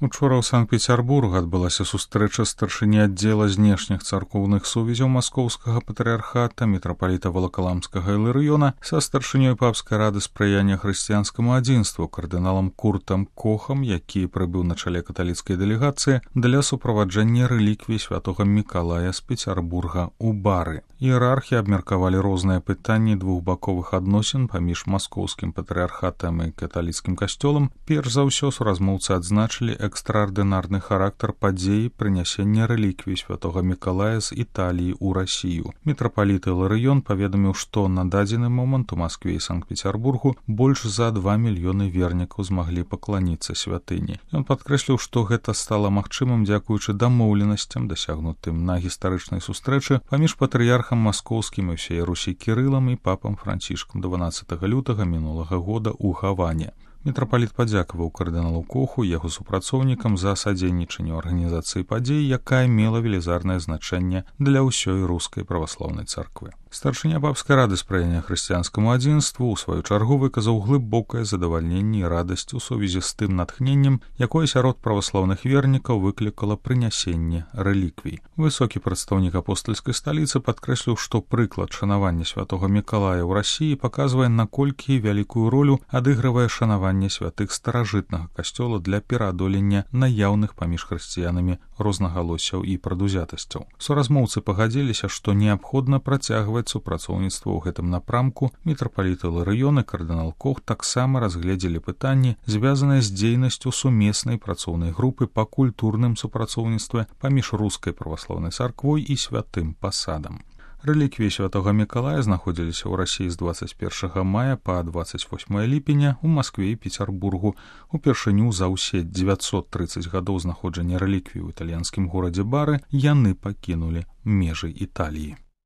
Учора ў Санкт-Петербург адбылася сустрэча старшыні аддзела знешніх царкоўных сувязяў маскоўскага патрыархата мітрапаліта Валакаламскага Іларыёна са старшынёй папскай рады спрыяння хрысціянскаму адзінству кардыналам Куртам Кохам, які прыбыў на чале каталіцкай дэлегацыі для суправаджэння рэліквій святога Мікалая з Петербурга ў Бары. Іерархі абмеркавалі розныя пытанні двухбаковых адносін паміж маскоўскім патрыархатам і каталіцкім касцёлам. Перш за ўсё суразмоўцы адзначылі экстраардынарны характар падзеі прынясення рэліквій святога Мікалая з Італіі ў Расію. Мітрапаліт Іларыён паведаміў, што на дадзены момант у Маскве і Санкт-Петербургу больш за 2 мільёны вернікаў змаглі пакланіцца святыні. Ён падкрэсліў, што гэта стала магчымым дзякуючы дамоўленасцям, дасягнутым на гістарычнай сустрэчы паміж патрыярхам маскоўскім і ўсей Русі Кірылам і папам Францішкам 12 лютага мінулага года ў Гаване. Мітрапаліт падзякаваў кардыналу Коху, яго супрацоўнікам за садзейнічанне арганізацыі падзей, якая мела велізарнае значэнне для ўсёй рускай праваслаўнай царквы. Старшыня папскай рады спрыяння хрысціянскаму адзінству ў сваю чаргу выказаў глыбокае задавальненне і радасць у сувязі з тым натхненнем, якое сярод праваслаўных вернікаў выклікала прынясенне рэліквій. Высокі прадстаўнік апостальскай сталіцы падкрэсліў, што прыклад шанавання святога Мікалая ў Расіі паказвае, наколькі вялікую ролю адыгрывае шанаванне святых старажытнага касцёла для пераадолення наяўных паміж хрысціянамі рознагалоссяў і прадузятасцяў. Суразмоўцы пагадзіліся, што неабходна працягваць супрацоўніцтва ў гэтым напрамку. Мітрапаліт Іларыён і кардынал Кох таксама разгледзелі пытанні, звязаныя з дзейнасцю сумеснай працоўнай групы па культурным супрацоўніцтве паміж рускай праваслаўнай царквой і святым пасадам. Рэліквіі святога Мікалая знаходзіліся ў Расіі з 21 мая па 28 ліпеня ў Маскве і Петербургу. Упершыню за ўсе 930 гадоў знаходжання рэліквій у італьянскім горадзе Бары яны пакінулі межы Італіі.